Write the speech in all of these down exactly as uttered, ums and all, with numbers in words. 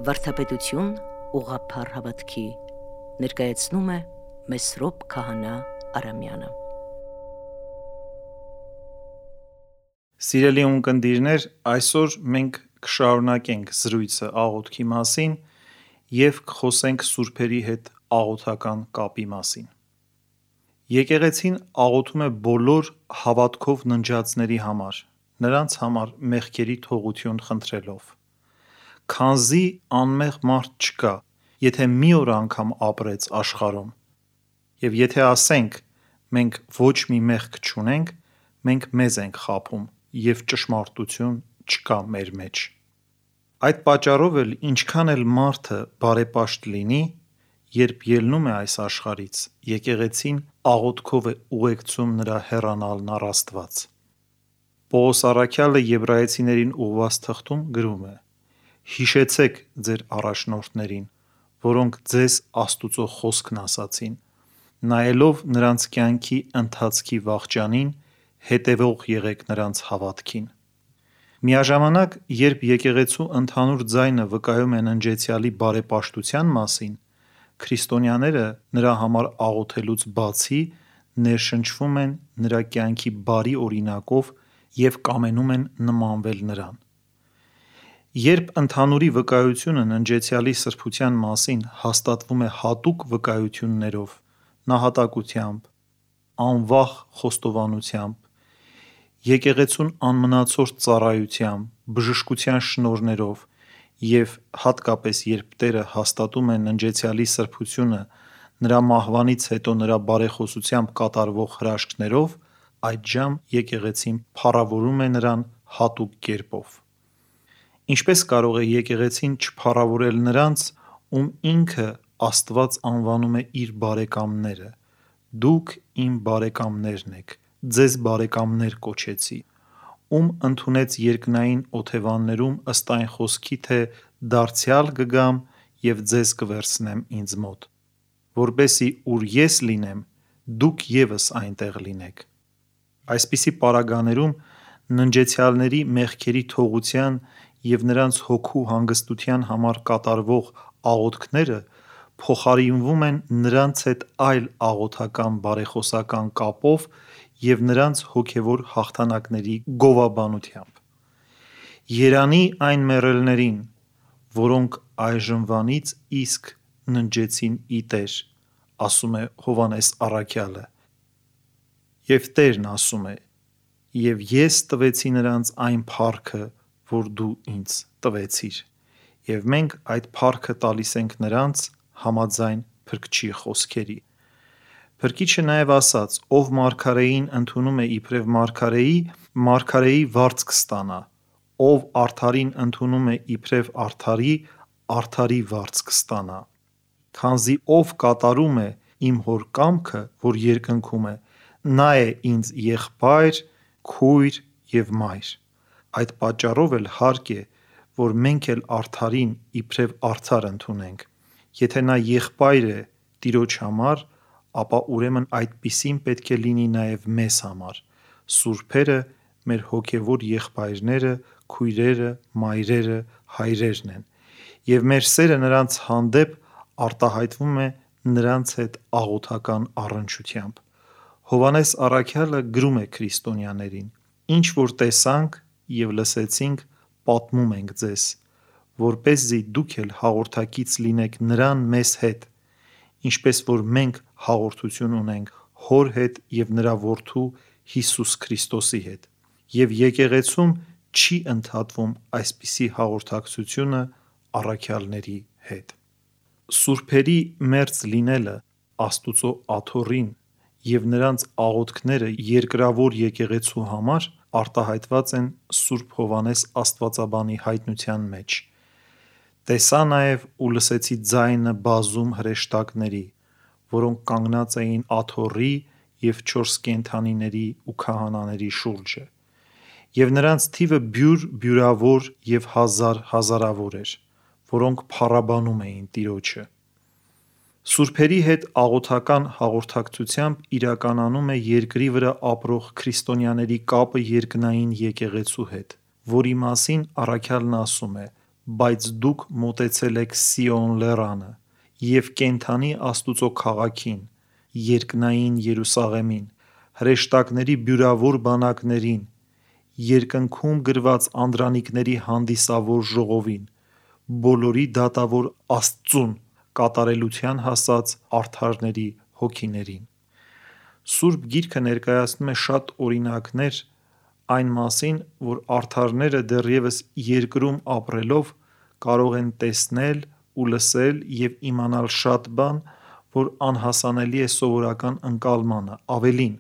Վարդապետություն ուղղափառ հավատքի ներկայացնում է Մեսրոպ Քահանա Արամյանը։ Սիրելի ունկնդիրներ, այսօր մենք կշարունակենք զրույցը աղոթքի մասին և կխոսենք սուրբերի հետ աղոթական կապի մասին։ Եկեղեցին աղոթում է բոլոր հավատքով ննջածների համար, նրանց համար մեղքերի թողություն խնդրելով։ Քանզի անմեղ մարդ չկա, եթե մի օր անգամ ապրեց աշխարհում, և եթե ասենք մենք ոչ մի մեղք չունենք, մենք մեզ ենք խաբում, և ճշմարտություն չկա մեր մեջ։ Այդ պատճառով էլ ինչքան էլ մարդը բարեպաշտ լինի, երբ ելնում է այս աշխարհից, եկեղեցին աղոթքով է ուղեկցում նրա հեռանալն առ Աստված։ Պողոս առաքյալը Եբրայեցիներին ուղղված թղթում գրում է. «Հիշեցեք ձեր առաջնորդներին, որոնք ձեզ Աստուծո խոսքն ասացին, նայելով նրանց կյանքի ընթացքի վախճանին, հետևող եղեք նրանց հավատքին»։ Միաժամանակ, երբ եկեղեցու ընդհանուր ձայնը վկայում է ննջեցյալի բարեպաշտության մասին, քրիստոնյաները նրա համար աղոթելուց բացի ներշնչվում են նրա կյանքի բարի օրինակով և կամենում են նմանվել նրան։ Երբ ընդհանուրի վկայությունը ննջեցյալի սրբության մասին հաստատվում է հատուկ վկայություններով, նահատակությամբ, անվախ խոստովանությամբ, եկեղեցուն անմնացորդ ծառայությամբ, բժշկության շնորհներով և հատկապես երբ Տերը հաստատում է ննջեցյալի սրբությունը նրա մահվանից հետո նրա բարեխոսությամբ կատարվող հրաշքներով, այդժամ եկեղեցին փառավորում է նրան հատուկ կերպով։ Ինչպե՞ս կարող է եկեղեցին չփառավորել նրանց, ում ինքը Աստված անվանում է իր բարեկամները. «Դուք իմ բարեկամներն եք, ձեզ բարեկամներ կոչեցի», ում ընդունեց երկնային օթևաններում ըստ այն խոսքի, թե «Դարձյալ կգամ և ձեզ կվերցնեմ ինձ մոտ, որպեսզի ուր ես լինեմ, դուք ևս այնտեղ լինեք»։ Այսպիսի պարագաներում ննջեցյալների մեղքերի թողության և նրանց հոգու հանգստության համար կատարվող աղոթքները փոխարինվում են նրանց հետ այլ աղոթական բարեխոսական կապով և նրանց հոգևոր հաղթանակների գովաբանությամբ։ Երանի այն մեռելներին, որոնք այժմվանից իսկ ննջեցին ի Տեր, ասում է Հովհաննես առաքյալը, և Տերն ասում է. «Եվ ես տվեցի նրանց այն փառքը, որ դու ինձ տվեցիր»։ Եվ մենք այդ փառքը տալիս ենք նրանց համաձայն Փրկչի խոսքերի։ Փրկիչը նաև ասաց. «Ով մարգարեին ընդունում է իբրև մարգարեի, մարգարեի վարձ կստանա, ով արդարին ընդունում է իբրև արդարի, արդարի վարձ կստանա, քանզի ով կատարում է իմ Հոր կամքը, որ երկնքում է, նա է ինձ եղբայր, քույր և մայր»։ Այդ պատճառով էլ հարկ է, որ մենք էլ արդարին իբրև արդար ընդունենք։ Եթե նա եղբայր է Տիրոջ համար, ապա ուրեմն այդպիսին պետք է լինի նաև մեզ համար։ Սուրբերը մեր հոգևոր եղբայրները, քույրերը, մայրերը, հայրերն են, և մեր սերը նրանց հանդեպ արտահայտվում է նրանց հետ աղոթական առնչությամբ։ Հովհաննես առաքյալը գրում է քրիստոնյաներին. «Ինչ որ տեսանք և լսեցինք, պատմում ենք ձեզ, որպեսզի դուք էլ հաղորդակից լինեք նրան մեզ հետ, ինչպես որ մենք հաղորդություն ունենք Հոր հետ և նրա Որդու Հիսուս Քրիստոսի հետ։ Եվ եկեղեցում չի ընդհատվում այսպիսի հաղորդակցությունը առաքյալների հետ»։ Սուրբերի մերձ լինելը, Աստուծո աթոռին և նրանց աղոթքները երկրավոր եկեղեցու համար արտահայտված են Սուրբ Հովհաննես աստվածաբանի հայտնության մեջ. «Տեսա նաև ու լսեցի ձայնը բազում հրեշտակների, որոնք կանգնած էին աթոռի և չորս կենդանիների ու քահանաների շուրջը, և նրանց թիվը բյուր-բյուրավոր և հազար-հազարավոր էր, որոնք փառաբանում էին Տիրոջը»։ Սուրբերի հետ աղոթական հաղորդակցությամբ իրականանում է երկրի վրա ապրող քրիստոնյաների կապը երկնային եկեղեցու հետ, որի մասին առաքյալն ասում է. բայց դուք մոտեցել եք Սիոն լեռանը և կենդանի Աստուծո քաղաքին, երկնային Երուսաղեմին, հրեշտակների բյուրավոր բանակներին, երկնքում գրված անդրանիկների հանդիսավոր ժողովին, բոլորի դատավոր Աստծուն, կատարելության հասած արդարների հոգիներին։ Սուրբ Գիրքը ներկայացնում է շատ օրինակներ այն մասին, որ արդարները դեռևս երկրում ապրելով կարող են տեսնել ու լսել և իմանալ շատ բան, որ անհասանելի է սովորական ընկալմանը, ավելին,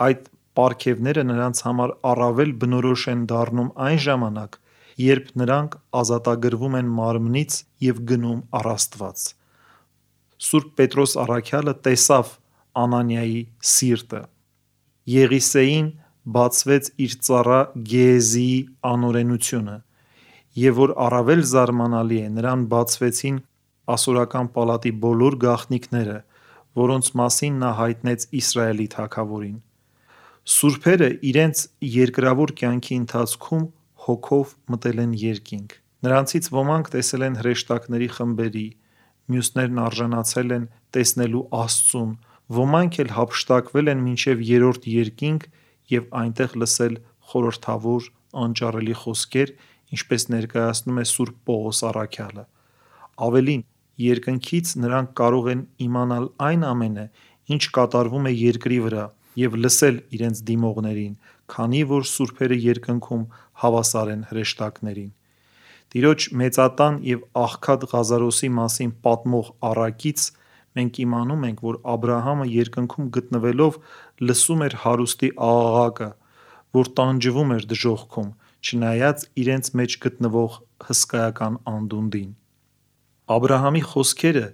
այդ պարգևները նրանց համար առավել բնորոշ են դառնում այն ժամանակ, երբ նրանք ազատագրվում են մարմնից և գնում առ Աստված։ Սուրբ Պետրոս առաքյալը տեսավ Անանիայի սիրտը։ Եղիսեին բացվեց իր ծառա Գեհեզիի անօրենությունը, և որ առավել զարմանալի է, նրան բացվեցին ասորական պալատի բոլոր գաղտնիքները, որոնց մասին նա հայտնեց Իսրայելի թագավորին։ Սուրբերը իրենց երկրավոր կյանքի ընթացքում հոգով մտել են երկինք։ Նրանցից ոմանք տեսել են հրեշտակների խմբերի, մյուսներն արժանացել են տեսնելու Աստծուն, ոմանք էլ հափշտակվել են մինչև երրորդ երկինք և այնտեղ լսել խորհրդավոր, անճառելի խոսքեր, ինչպես ներկայացնում է Սուրբ Պողոս առաքյալը։ Ավելին, երկնքից նրանք կարող են իմանալ այն ամենը, ինչ կատարվում է երկրի վրա, և լսել իրենց դիմողներին, քանի որ սուրբերը երկնքում հավասար են հրեշտակներին։ Տիրոջ մեծատան և աղքատ Ղազարոսի մասին պատմող առակից մենք իմանում ենք, որ Աբրահամը երկնքում գտնվելով լսում էր հարուստի աղաղակը, որ տանջվում էր դժոխքում, չնայած իրենց մեջ գտնվող հսկայական անդունդին։ Աբրահամի խոսքերը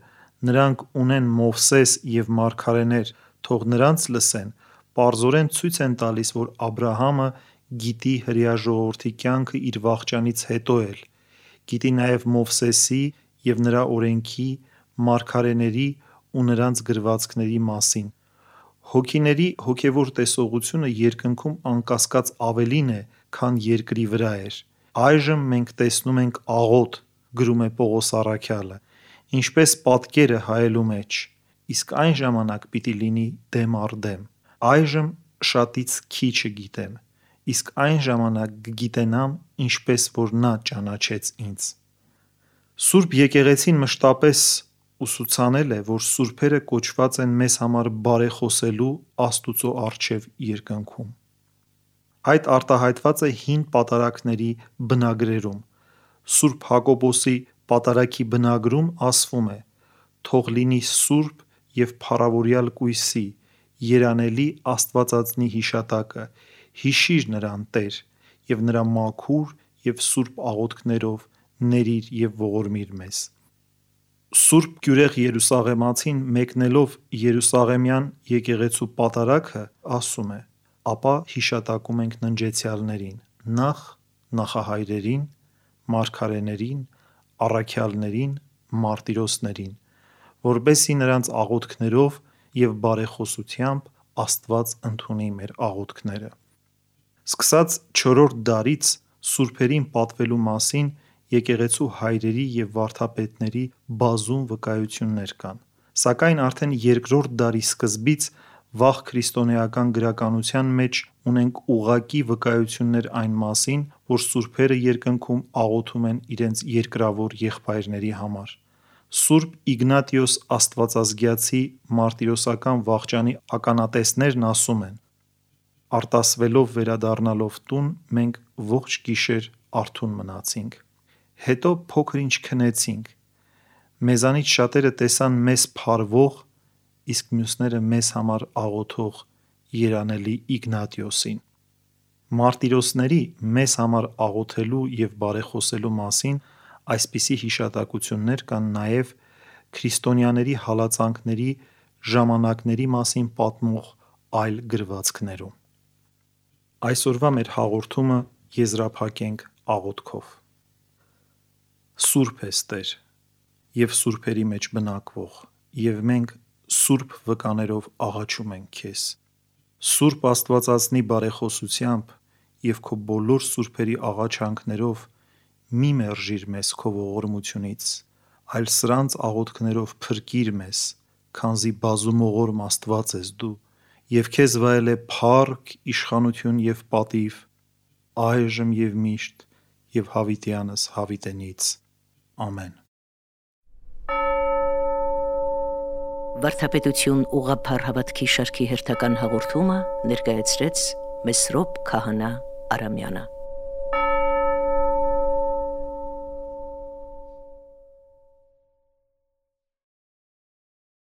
«Նրանք ունեն Մովսես և մարգարեներ, թող նրանց լսեն», պարզորեն ցույց են տալիս, որ Աբրահամը գիտի հրեա ժողովրդի կյանքը իր վախճանից հետո էլ, գիտի նաև Մովսեսի և նրա օրենքի, մարգարեների ու նրանց գրվածքների մասին։ Հոգիների հոգևոր տեսողությունը երկնքում անկասկած ավելին է, քան երկրի վրա էր։ Այժմ մենք տեսնում ենք աղոթ, գրում է Պողոս առաքյալը, ինչպես պատկերը հայելու մեջ, իսկ այն ժամանակ պիտի լինի դեմ առ դեմ։ Այժմ շատից քիչը գիտեմ, իսկ այն ժամանակ կգիտենամ, ինչպես որ նա ճանաչեց ինձ։ Սուրբ եկեղեցին մշտապես ուսուցանել է, որ սուրբերը կոչված են մեզ համար բարեխոսելու Աստուծո առջև երկնքում։ Այդ արտահայտված է Հին Պատարագների բնագրերում։ Սուրբ Հակոբոսի պատարագի բնագրում ասվում է. «Թող լինի սուրբ և փառավորյալ կույսի, երանելի Աստվածածնի հիշատակը, հիշիր նրան, Տեր, և նրա մաքուր և սուրբ աղոթքներով ներիր և ողորմիր մեզ»։ Սուրբ գյուրեղ երուսաղեմացին մեկնելով Երուսաղեմյան եկեղեցու պատարագը ասում է. «Ապա հիշատակում ենք ննջեցյալներին, նախ նախահայրերին, մարգարեներին, առաքյալներին, մարտիրոսներին, որպեսզի նրանց աղոթքներով և բարեխոսությամբ Աստված ընդունի մեր աղոթքները»։ Սկսած չորրորդ դարից սուրբերին պատվելու մասին եկեղեցու հայրերի և վարդապետների բազում վկայություններ կան, սակայն արդեն երկրորդ դարի սկզբից վաղ քրիստոնեական գրականության մեջ ունենք ուղղակի վկայություններ այն մասին, որ սուրբերը երկնքում աղոթում են իրենց երկրավոր եղբայրների համար։ Սուրբ Իգնատիոս Աստվածազգյացի մարտիրոսական վախճանի ականատեսներն ասում են. «Արտասվելով վերադառնալով տուն, մենք ողջ գիշեր արթուն մնացինք, հետո փոքր-ինչ քնեցինք, մեզանից շատերը տեսան մեզ փարվող, իսկ մյուսները մեզ համար աղոթող երանելի Իգնատիոսին»։ Մարտիրոսների մեզ համար աղոթելու և բարեխոսելու մասին այսպիսի հիշատակություններ կան նաև քրիստոնյաների հալածանքների ժամանակների մասին պատմող այլ գրվածքներում։ Այսօրվա մեր հաղորդումը եզրափակենք աղոթքով։ Սուրբ ես, Տեր, և սուրբերի մեջ բնակվող, և մենք սուրբ վկաներով աղաչում ենք Քեզ։ Սուրբ Աստվածածնի բարեխոսությամբ և Քո բոլոր սուրբերի աղաչանքներով մի մերժիր մեզ քո ողորմությունից, այլ սրանց աղոթքներով փրկիր մեզ, քանզի բազումողորմ Աստված ես դու, և քեզ վայել է փառք, իշխանություն և պատիվ, այժմ և միշտ, և հավիտյանս հավիտենից։ Ամեն։ Վարդապետություն ուղղափառ հավատքի շարքի հերթական հաղորդումը ներկայացրեց Մեսրոպ Քահանա Արամյանը։